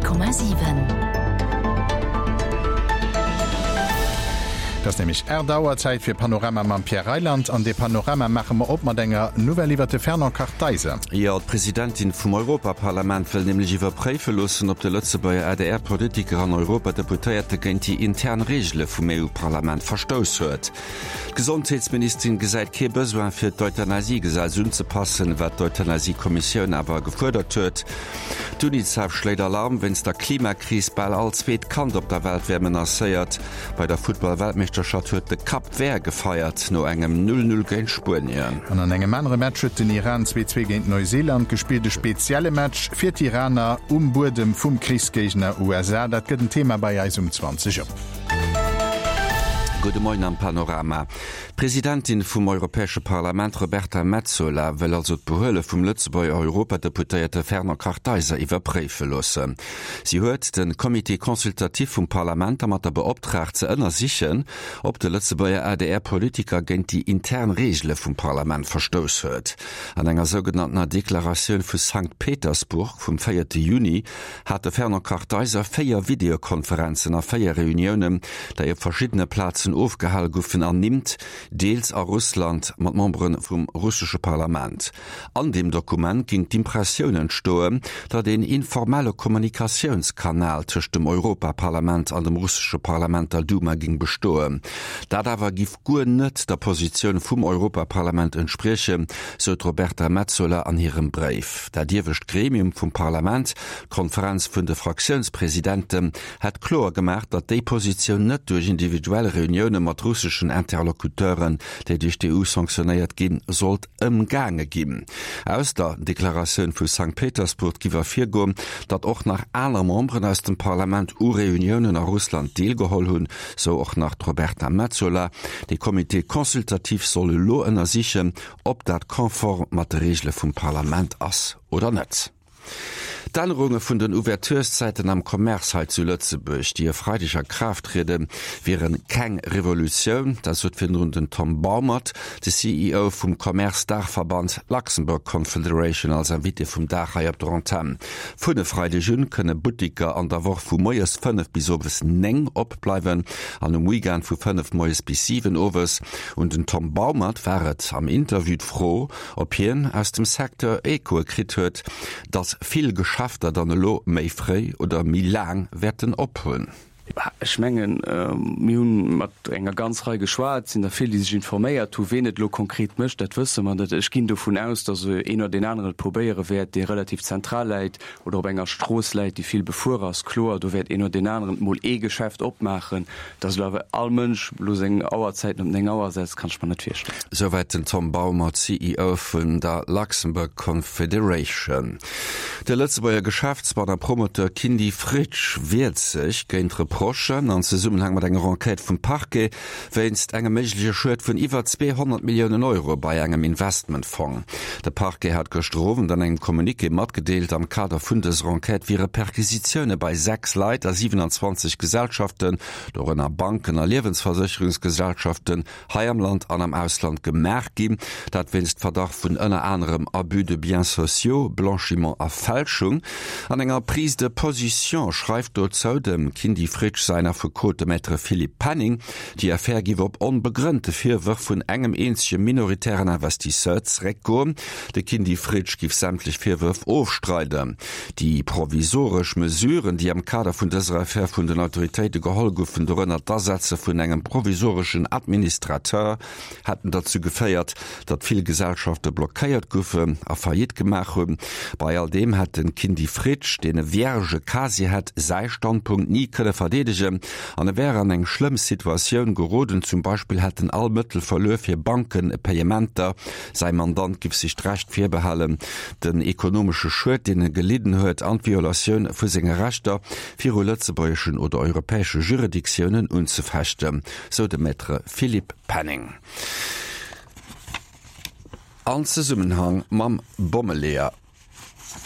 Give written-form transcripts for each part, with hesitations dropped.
100,7. Et ass nämlech 8 Auer, Zäit fir Panorama mam Pierre Reyland. An dee Panorama maache mer op mat enger Nouvelle iwwer de Fernand Kartheiser. Jo, d'Presidentin vum Europaparlament wëll nämlech iwwerpréife loossen, ob de Lëtzebuerger ADR-Politiker an Europadeputéierte géint déi intern Reegele vum EU-Parlament verstouss huet. D'Gesondheetsministerin gesäit kee Besoin fir d'Euthanasiegesetz unzepassen, wat d'Euthanasiekommissioun awer gefuerdert huet. D'Unicef schléit Alarm wéinst der Klimakris, Bal all zweet Kand op der Welt wär menacéiert. Bei der Futtball-Weltmeeschterschaft huet de Cap Vert gefeiert no engem 0, 0 géint Spuenien. An an engem anere Match huet den Iran 2, 2 géint Neuseeland gespillt. E spezielle Match fir d'Iraner um Buedem vum Krichsgéigner USA. Dat gëtt en Thema bei eis um 20 op. Gudde Moien am Panorama. D'Presidentin vum Europäesche Parlament Roberta Metsola wëll also d'Behuele vum Lëtzebuerger Europadeputéierte Fernand Kartheiser iwwerpréife loossen. Si huet de Comité consultatif vum Parlament dermatter beoptraagt ze ënnersichen, ob de Lëtzebuerger ADR-Politiker géint déi intern Reegele vum Parlament verstouss huet. An enger sougenanntener Deklaratioun vu Sankt Petersburg vum véierte Juni hat de Fernand Kartheiser 4 Videokonferenzen a 4 Reuniounen, déi op verschiddene Plazen ofgehale goufen, ernimmt, deels a Russland mat Membere vum russesche Parlament. An deem Dokument ging d'Impressioun entstoen, datt een informelle Kommunikatiounskanal tëscht dem Europaparlament an dem russesche Parlament, der Duma, ging bestoen. Dat awer giff guer net der Positioun vum Europaparlament entspriechen, sou d'Roberta Metsola an hirem Bréif. Dat iewescht Gremium vum Parlament, d'Konferenz vun de Fraktiounspresidenten, hätt kloer gemaach, datt déi Positioun net duerch individuell Reunioune mat russeschen Interlocuteuren, déi duerch d'EU sanktionéiert ginn, sollt ëmgaange ginn. Aus der Deklaratioun vu Sankt Petersburg giff ervirgoen, datt och nach aner Memberen aus dem Parlament u Reuniounen a Russland deelgeholl hunn, sou och nach d'Roberta Metsola. De Comité consultatif soll elo ënnersichen, ob dat konform mat de Reegele vum Parlament ass oder net. D'Ännerunge vun den Ouvertureszäiten am Commerce hei zu Lëtzebuerg, déi e Freideg a Kraaft trieden, wiere keng Revolutioun. Dat sot virdrun den Tom Baumert, de CEO vum Commerce-Daachverband Luxembourg Confederation als Invité vum Dag hei op der Antenn. Vun e Freideg un kënne Buttiker an der Woch vu moies 5 bis owes 9 opbleiwen an um Weekend vu 5 moies bis 7 owes. Un den Tom Baumert war et am Interview d'Fro, ob hien aus dem Secteur Echoe kritt huet, datt vill Geschäfter dann elo méi fréi oder méi laang wäerten ophunn. Ech mengen, mir hu mat enger ganz Rei geschwat, et sinn der vill, déi sech informéiert hu. Ween et elo konkret mécht, dat wësse mer net. Ech ginn dovun aus, datt een oder deen aneren et probéiere wäert, dee relativ zentral läit oder op enger Strooss läit, déi vill befuer ass. Kloer, do wäert een oder deen aneren emol ee Geschäft opmaachen. Dass elo awer all Mënsch elo seng Auerzäiten op 9 Auer setzt, kann ech mer net virstellen. Souwäit den Tom Baumert, CEO vun der Luxembourg Confederation. De Lëtzebuerger Geschäftsmann a Promoteur Kindy Fritsch wiert sech géint Reprochen an Zesummenhang mat enger Enquête vum Parquet wéinst engem méigleche Schued vun iwwer 200 Milliounen Euro bei engem Investmentfong. De Parquet hat gëschter Owend an engem Communiqué matgedeelt, am Kader vun dëser Enquête wiere Perquisitioune bei 6 Leit a 27 Gesellschaften, dorënner Banken a Liewensversécherungsgesellschaften, hei am Land an am Ausland gemaach ginn. Dat wéinst Verdacht vun ënner anerem Abus de biens sociaux, Blanchiment a Fälschung. An enger Prise de position schreift dozou dem Kindy Fritsch säin Affekot, de Maître Philippe Penning, Déi Affär giff op onbegrënnte Virwërf vun engem eenzege minoritären Investisseur zeréckgoen. De Kindy Fritsch giff sämtlech Virwërf ofstreiden. Déi provisoresch Mesuren, déi am Kader vun dëser Affär vun den Autoritéite geholl goufen, dorënner d'Asetze vun engem provisoreschen Administrateur, hätten derzou geféiert, datt vill Gesellschafte blockéiert goufen a Faillite gemaach hunn. Bei all deem hätt de Kindy Fritsch, deen e vierge Casier hätt, säi Standpunkt ni kënne verdeedegen an e wär an eng schlëmm Situatioun geroden. Zum Beispill hätt en all Mëttel verluer fir Bankenpayementer. Säi Mandant giff sech d'Recht virbehalen, den ekonomesche Schued, deen e gelidden huet an d'Violatioun vu senge Rechter viru lëtzebuergeschen oder europäesche Juridictiounen unzefechten, sou de Maître Philippe Penning. An Zesummenhang mam Bommeleeër.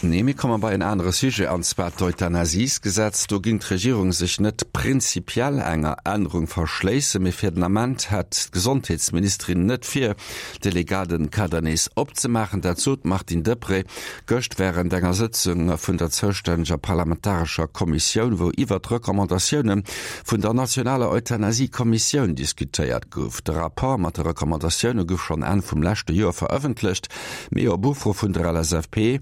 Nee, mir komme bei en anere Sujet, an zwar d'Euthanasiesgesetz. Do géing d'Regierung sech net prinzipiell enger Ännerung verschléissen, mee fir den Ament hätt d'Gesondheetsministerin net vir, de legale Kader nees opzemaachen. Dat sot d'Martine Deprez gëscht wärend enger Sëtzung vun der zoustänneger parlamentarescher Kommissioun, wou iwwert d'Recommandatioune vun der nationaler Euthanasie-Kommissioun diskutéiert gouf. De Rapport mat de Recommandatioune gouf schonn Enn vum leschte Joer verëffentlecht. Mee op Ufro vun der LSAP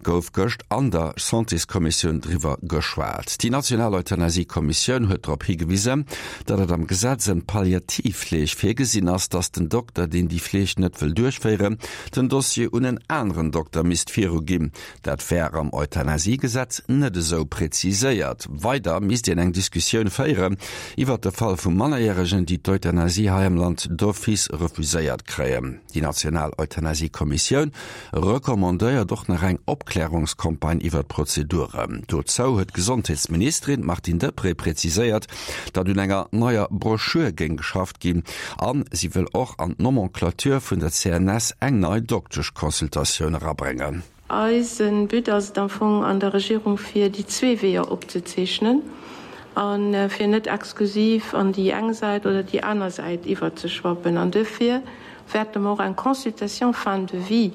gouf gëscht an der Santéskommissioun driwwer geschwat. Déi national Euthanasie-Kommissioun huet drop higewisen, datt et am Gesetz ëm d'Palliativfleeg virgesinn ass, datt den Dokter, deen déi Fleeg net wëll duerchféieren, den Dossier un en aneren Dokter misst viruginn. Dat wär am Euthanasie-Gesetz net esou preziséiert. Weider misst een eng Diskussioun féieren iwwert de Fall vu Mannerjäregen, déi d'Euthanasie hei am Land d'office refuséiert kréien. Déi national Euthanasie-Kommissioun recommandéiert och nach eng Opklärungscampagne iwwer d'Prozeduren. Dozou huet d'Gesondheetsministerin Martine Deprez preziséiert, datt un enger neier Broschür géing geschafft ginn a si wëll och an d'Nomenclature vun der CNS eng nei Dokteschconsultatioun erabréngen. Eise But ass et am Fong an der Regierung fir déi zwee Weeër opzezeechnen a fir net exklusiv an déi eng Säit oder déi aner Säit iwwerzeschwappen. An duerfir wäerte mer och eng Consultation fin de vie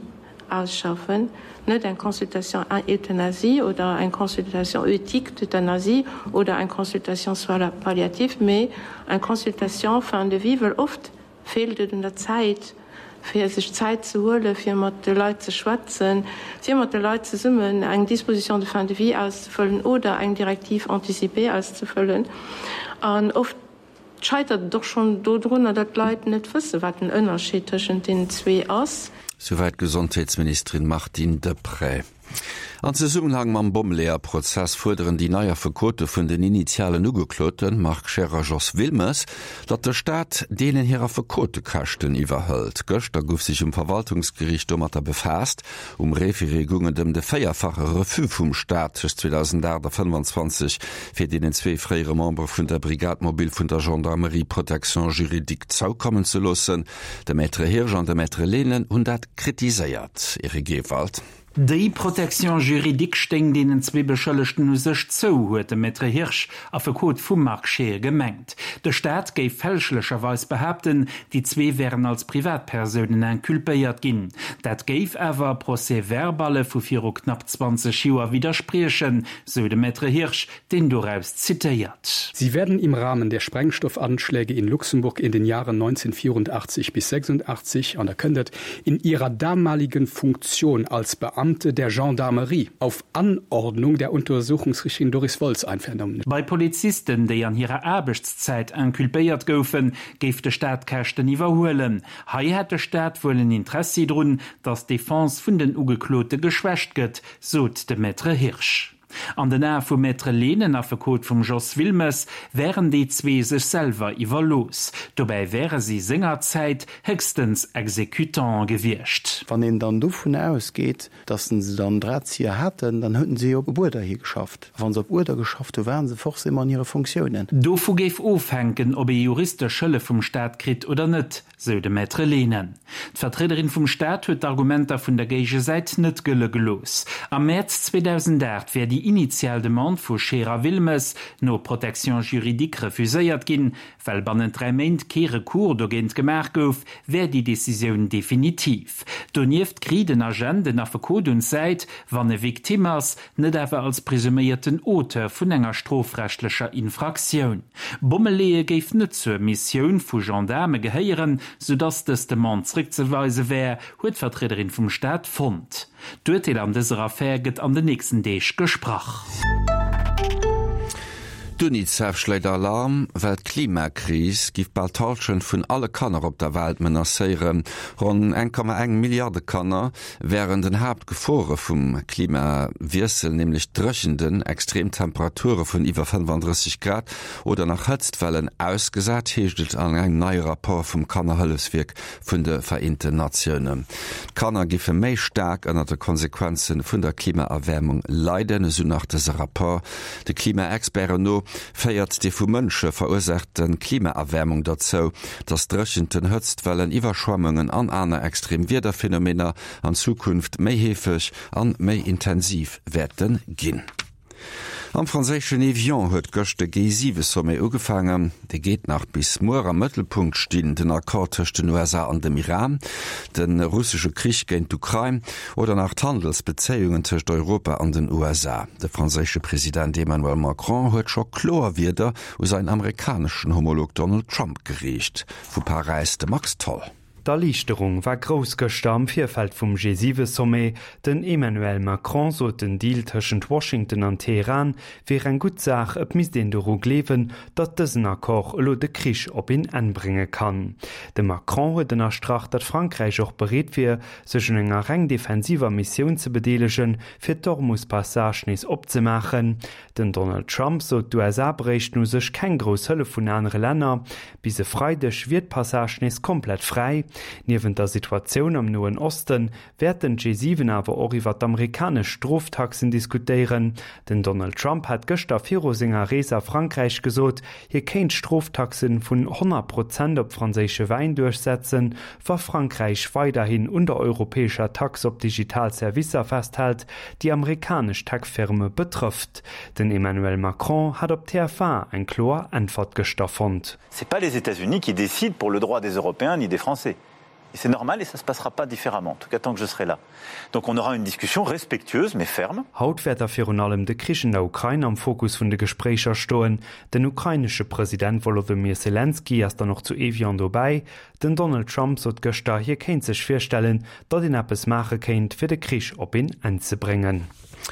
ausschaffen, net eng Consultation euthanasie oder eng Consultation éthique d'euthanasie oder eng Consultation soins palliatifs, mee eng Consultation fin de vie, wëll oft feelt et un der Zäit, fir sech Zäit ze huelen, fir mat de Leit ze schwätzen, fir mat de Leit zesummen eng Disposition de fin de vie auszefëllen oder eng Directive anticipée auszefëllen. An oft scheitert et och schonn dodrunner, datt d'Leit net wëssen, wat den Ënnerscheed tëschent deenen zwee ass. Souwäit d'Gesondheetsministerin Martine Deprez. An Zesummenhang mam Bommeleeër-Prozess fuerderen déi nei Affekote vun den initialen Ugekloten, Marc Scheer a Jos Wilmes, datt de Staat deenen hir Affekotekäschten iwwerhëlt. Gëschter gouf sech um Verwaltungsgeriicht domatter befaasst. Um Référé goung et ëm de véierfache Refus vum Staat tëscht 2008 a 25 fir deenen zwee fréiere Membere vun der Brigade mobile vun der Gendarmerie Protection juridique zoukommen ze loossen. De Maître Hirsch an de Maître Lehnen hunn dat kritiséiert. Eric Ewald. Déi Protection juridique stéing deenen zwee Beschëllegten u sech zou, huet de Maître Hirsch, Affekot vum Marc Scheer, gemengt. De Staat géif fälschlecherweis behaapten, déi zwee wären als Privatpersounen inculpéiert ginn. Dat géif awer Procès-verballe vu viru knapp 20 Joer widderspriechen, sou de Maître Hirsch, deen doraus zitéiert. Sie werden im Rahmen der Sprengstoffanschläge in Luxemburg in den Jahren 1984 bis 86 an der kënnt in ihrer damaligen Funktion als Beamte der Gendarmerie auf Anordnung der Untersuchungsrichterin Doris Woltz einvernommen. Bei Polizisten, déi an hirer Aarbechtszäit inculpéiert goufen, géif de Staat d'Käschten iwwerhuelen. Hei hätt de Staat wuel en Interessi drun, datt d'Defense vun den Ugeklote geschwächt gëtt, sot de Maître Hirsch. An den Ae vum Maître Lehnen, Affekot vum Jos Wilmes, wären déi zwee sech selwer iwwerlooss. Dobäi wäre si sengerzäit héchstens Exécutanten gewiescht. Wann een dann dovun ausgeet, datt se dann Drahtzieher haten, dann hueten se jo op Uerder hi geschafft. A wa se op Uerder geschafft hu waren se forcément an hire Fonctiounen. Dovu géif ofhänken, ob ee juristesch Hëllef vum Staat kritt oder net. Sou de Maître Lehnen. D'Vertriederin vum Staat huet d'Argumenter vun der Géigesäit net gëlle gelooss. Am Mäerz 2008 wär déi initial Demande vu Scheer a Wilmes no Protection juridique refuséiert ginn. Well bannent 3 Méint kee Recours dogéint gemaach gouf, wär déi Decisioun definitiv. Donieft kriit en Agent en Affekot un d'Säit, wann e Victime ass, net awer als presuméierten Auteur vun enger strofrechtlecher Infraktioun. Bommeleeë géif net zur Missioun vu Gendaarme gehéieren, soudass dës Demande zréckzeweise wär, huet d'Vertriederin vum Staat fonnt. D'Urteel an dëser Affär gëtt an den nächsten Deeg gesprach. D'Unicef schléit Alarm, well d'Klimakris giff bal d'Hallschent vun alle Kanner op der Welt menacéieren. Ronn 1,1 Milliarde Kanner wären den Haaptgefore vum Klimawiessel, nämlech Dréchenden, extrem Temperature vun iwwer 35 Grad oder nach Hëtztwellen ausgesat, heescht et an engem neie Rapport vum Kannerhëllefswierk vun de Vereenten Natiounen. D'Kanner giffe méi staark ënner de Konsequenze vun der Klimaerwäermung leiden, esou nach dëse Rapport. De Klimaexperten no. féiert déi vu Mënsche verursaachte Klimaerwäermung derzou, datt Dréchenten, Hëtztwellen, Iwwerschwemmungen an aner extrem Wiederphenomener an Zukunft méi heefeg an méi intensiv wäerte ginn. Am franséischen Evian huet gëscht de G7-Sommet ugefaangen. Dee geet nach bis muer. Am Mëttelpunkt stinn den Accord tëscht den USA an dem Iran, de russesche Krich géint d'Ukrain oder nach d'Handelsbezéiungen tëscht Europa an den USA. De franséische President Emmanuel Macron huet scho kloer Wierder u säin amerikaneschen Homolog Donald Trump geriicht. Vu Paräis de Max Tholl. D'Erliichterung war grouss gëschter am Virfeld vum G7-Sommet. Den Emmanuel Macron sot, den Deal tëschent Washington an Teheran wier eng gutt Saach, et misst een doru gleewen, datt dësen Accord elo de Krich op een Enn brénge kann. De Macron huet ënnerstrach, datt Frankräich och bereet wier, sech un enger reng defensiver Missioun ze bedeelegen, fir d'Hormus-Passage nees opzemaachen. Den Donald Trump sot, d'USA bréichten u sech keng grouss Hëllef vun anere Länner. Bis e Freideg wier d'Passage nees komplett fräi. Niewent der Situatioun am Noen Oste wäerten d'G7 awer och iwwer d'amerikanesch Stroftaxen diskutéieren. Den Donald Trump hat gëschter viru senger Rees a Frankräich gesot, hie kéint Stroftaxe vun 100 Prozent op franséische Wäin duerchsetzen, wa Frankräich weiderhin un der europäescher Tax op digital Servicer festhält, déi amerikanesch Tech-Firme betrëfft. Den Emmanuel Macron hat op TF1 eng kloer Äntwert gëschter fonnt. C'est pas les États-Unis qui décident pour le droit des Européens ni des Français. Et c'est normal et ça se passera pas différemment, en tout cas tant que je serai là. Donc on aura une discussion respectueuse mais ferme. Haut wäert da virun allem de Krich in der Ukrain am Fokus vun de Gespréicher stoen. Den ukrainesche President Wolodymyr Selenskyj ass dann och zu Evian dobäi. Den Donald Trump sot gëschter, hie kéint sech virstellen, datt een eppes maache kéint, fir de Krich op een Enn ze bréngen.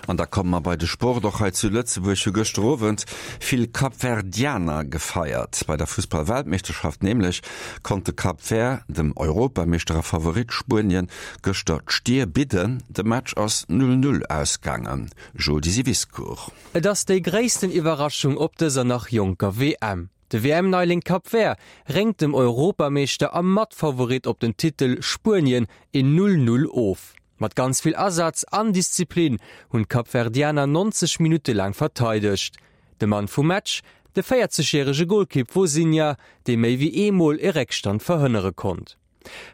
An da komme mer bei de Sport. Och hei zu Lëtzebuerg hu gëschter Owend vill Kapverdianer gefeiert. Bei der Fussball-Weltmeeschterschaft nämlech konnt de Cap Vert dem Europameeschter a Favorit Spuenien gëschter d'Stier bidden. De Match ass 0, 0 ausgaangen. Jody Siviscourt. Et ass déi gréissten Iwwerraschung op dëser nach jonker WM. De WM-Neiling Cap Vert réngt dem Europameeschter a Matfavorit op den Titel Spuenien een 0, 0 of. Mat ganz vill Asaz an Disziplin hunn d'Kapverdianer 90 Minutte laang verteidegt. De Mann vum Match, de 40 järege Golkipp Vozinha, dee méi wéi eemol e Réckstand verhënnere konnt.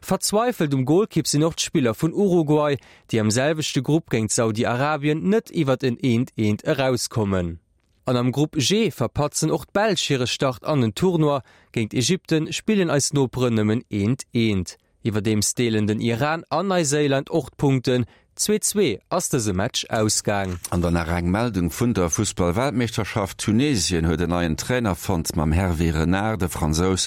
Verzweifelt um Golkipp sinn och d'Spiller vun Uruguay, déi am selwechte Grupp géint Saudi-Arabien net iwwert en eent eent erauskommen. An am Grupp G verpatzen och d'Belsch hire Start an den Tournoi. Géint Ägypten spillen eis Noperen nëmmen eent eent. Iwwerdeems deelen den Iran an Neiséiland och d'Punkten. 2, 2 ass dëse Match ausgaang. An dann nach eng Meldung vun der Fussball-Weltmeeschterschaft, Tunesien huet en neien Trainer fonnt mam Hervé Renard. De Fransous,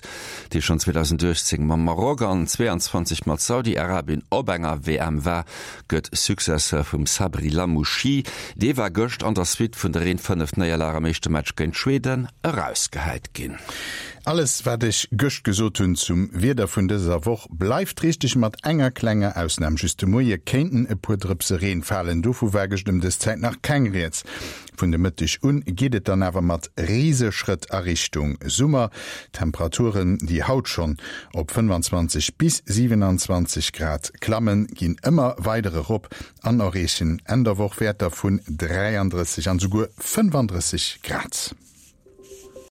dee schonn 2018 mam Maroc an 22 mat Saudi-Arabien op enger WM war, gëtt Successeur vum Sabri Lamouchi. Dee war gëscht an der Suite vun der 1, 5 Néierlag am éischte Match géint Schweden erausgehäit ginn. Alles wat ech gëscht gesot hunn zum Wieder vun dëser Woch bleift richteg, mat enger klenger Ausnam, Just de Moie kéinten e puer Drëpse Reen falen, dovu war gëscht ëm dës Zäit nach keng Rieds. Vun de Mëtteg un geet et dann awer mat Riseschrëtt a Richtung Summer. D'Temperaturen, déi haut schonn op 25 bis 27 Grad klammen, ginn ëmmer weider erop an erreechen Enn der Woch Wäerter vun 33 an esouguer 35 Grad.